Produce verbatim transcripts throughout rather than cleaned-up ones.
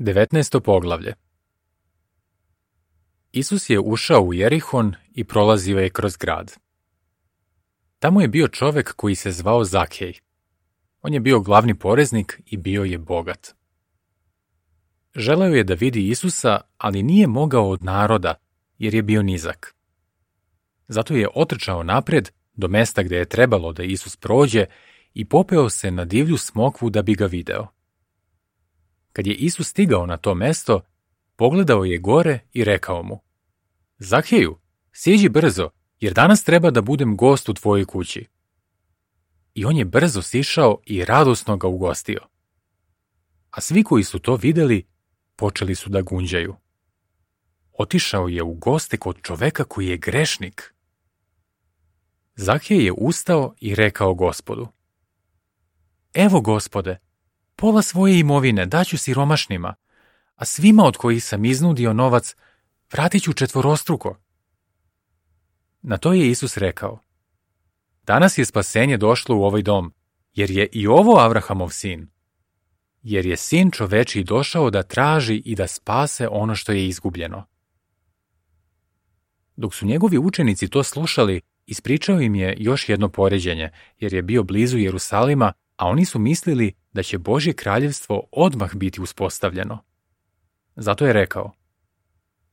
devetnaesto poglavlje. Isus je ušao u Jerihon i prolazio je kroz grad. Tamo je bio čovek koji se zvao Zakej. On je bio glavni poreznik i bio je bogat. Želeo je da vidi Isusa, ali nije mogao od naroda, jer je bio nizak. Zato je otrčao napred do mesta gde je trebalo da Isus prođe i popeo se na divlju smokvu da bi ga video. Kad je Isus stigao na to mesto, pogledao je gore i rekao mu: Zakeju, siđi brzo, jer danas treba da budem gost u tvojoj kući. I on je brzo sišao i radosno ga ugostio. A svi koji su to videli, počeli su da gunđaju. Otišao je u goste kod čoveka koji je grešnik. Zakej je ustao i rekao Gospodu: Evo, Gospode, pola svoje imovine daću siromašnima, a svima od kojih sam iznudio novac vratit ću četvorostruko. Na to je Isus rekao: Danas je spasenje došlo u ovaj dom, jer je i ovo Avrahamov sin. Jer je sin čovečiji došao da traži i da spase ono što je izgubljeno. Dok su njegovi učenici to slušali, ispričao im je još jedno poređenje, jer je bio blizu Jerusalima, a oni su mislili da će Božje kraljevstvo odmah biti uspostavljeno. Zato je rekao: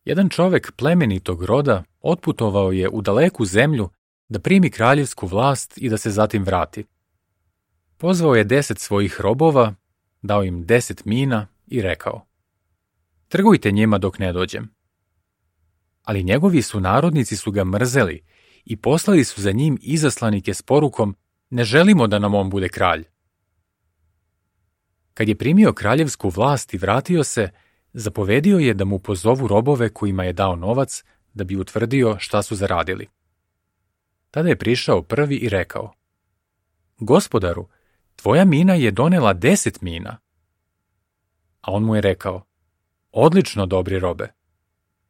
Jedan čovek plemenitog roda otputovao je u daleku zemlju da primi kraljevsku vlast i da se zatim vrati. Pozvao je deset svojih robova, dao im deset mina i rekao: Trgujte njima dok ne dođem. Ali njegovi sunarodnici su ga mrzeli i poslali su za njim izaslanike s porukom: Ne želimo da nam on bude kralj. Kad je primio kraljevsku vlast i vratio se, zapovedio je da mu pozovu robove kojima je dao novac da bi utvrdio šta su zaradili. Tada je prišao prvi i rekao: Gospodaru, tvoja mina je donela deset mina. A on mu je rekao: Odlično, dobri robe.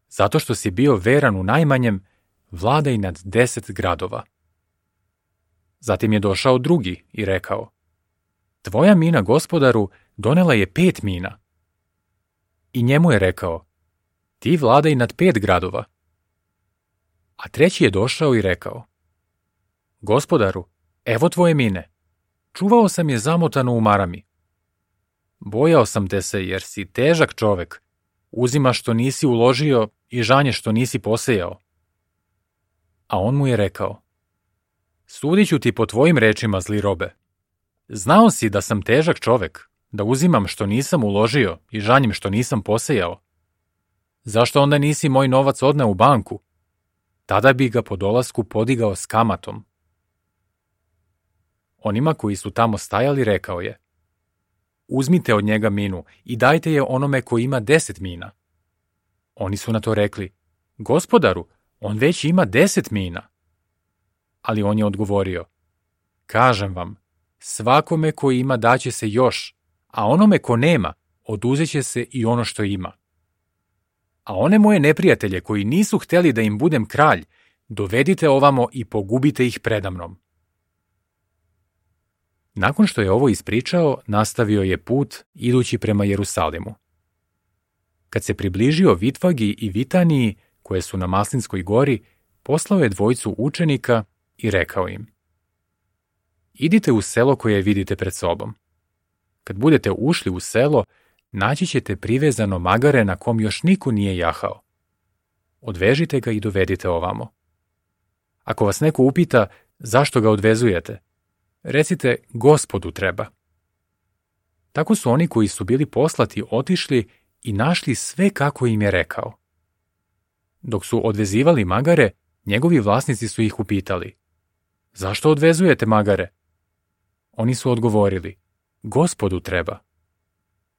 Zato što si bio veran u najmanjem, vladaj nad deset gradova. Zatim je došao drugi i rekao: Tvoja mina, gospodaru, donela je pet mina. I njemu je rekao: Ti vladaj nad pet gradova. A treći je došao i rekao: Gospodaru, evo tvoje mine. Čuvao sam je zamotano u marami. Bojao sam te se, jer si težak čovek. Uzimaš što nisi uložio i žanje što nisi posejao. A on mu je rekao: Sudit ću ti po tvojim rečima, zli robe. Znao si da sam težak čovek, da uzimam što nisam uložio i žanjem što nisam posejao. Zašto onda nisi moj novac odneo u banku? Tada bi ga po dolasku podigao s kamatom. Onima koji su tamo stajali rekao je: Uzmite od njega minu i dajte je onome koji ima deset mina. Oni su na to rekli: Gospodaru, on već ima deset mina. Ali on je odgovorio: Kažem vam, svakome koji ima daće se još, a onome ko nema oduzet će se i ono što ima. A one moje neprijatelje koji nisu hteli da im budem kralj, dovedite ovamo i pogubite ih predamnom. Nakon što je ovo ispričao, nastavio je put idući prema Jerusalimu. Kad se približio Vitvagi i Vitaniji, koje su na Maslinskoj gori, poslao je dvojicu učenika i rekao im: Idite u selo koje vidite pred sobom. Kad budete ušli u selo, naći ćete privezano magare na kom još niko nije jahao. Odvežite ga i dovedite ovamo. Ako vas neko upita zašto ga odvezujete, recite: Gospodu treba. Tako su oni koji su bili poslati otišli i našli sve kako im je rekao. Dok su odvezivali magare, njegovi vlasnici su ih upitali: Zašto odvezujete magare? Oni su odgovorili: Gospodu treba.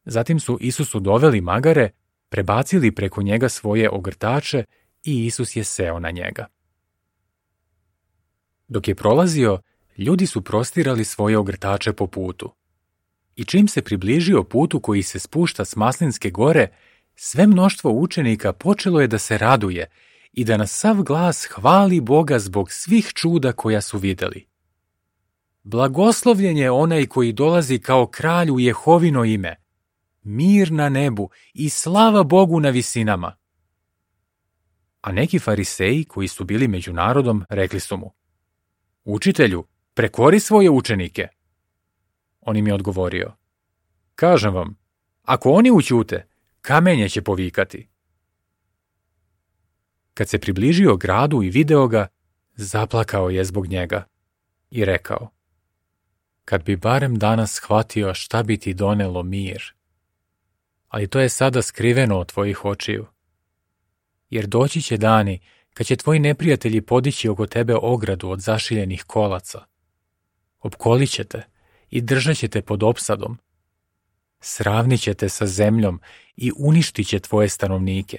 Zatim su Isusu doveli magare, prebacili preko njega svoje ogrtače i Isus je seo na njega. Dok je prolazio, ljudi su prostirali svoje ogrtače po putu. I čim se približio putu koji se spušta s Maslinske gore, sve mnoštvo učenika počelo je da se raduje i da na sav glas hvali Boga zbog svih čuda koja su videli. Blagoslovljen je onaj koji dolazi kao kralj u Jehovino ime. mir na nebu i slava Bogu na visinama. A neki fariseji koji su bili među narodom rekli su mu: Učitelju, prekori svoje učenike. On im je odgovorio: Kažem vam, ako oni ućute, kamenje će povikati. Kad se približio gradu i video ga, zaplakao je zbog njega i rekao: Kad bi barem danas shvatio šta bi ti donelo mir, ali to je sada skriveno od tvojih očiju. Jer doći će dani kad će tvoji neprijatelji podići oko tebe ogradu od zašiljenih kolaca. Opkolit će te i držat će te pod opsadom. Sravnit će te sa zemljom i uništit će tvoje stanovnike.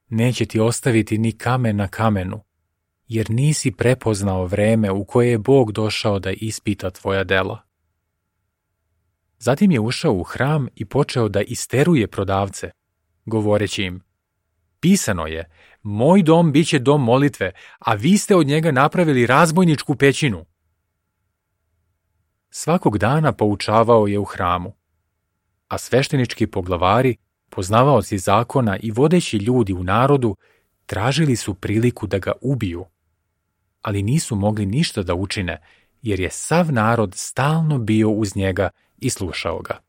Neće ti ostaviti ni kamen na kamenu, jer nisi prepoznao vreme u koje je Bog došao da ispita tvoja dela. Zatim je ušao u hram i počeo da isteruje prodavce, govoreći im: Pisano je, moj dom biće dom molitve, a vi ste od njega napravili razbojničku pećinu. Svakog dana poučavao je u hramu, a sveštenički poglavari, poznavaoci zakona i vodeći ljudi u narodu, tražili su priliku da ga ubiju, ali nisu mogli ništa da učine, jer je sav narod stalno bio uz njega i slušao ga.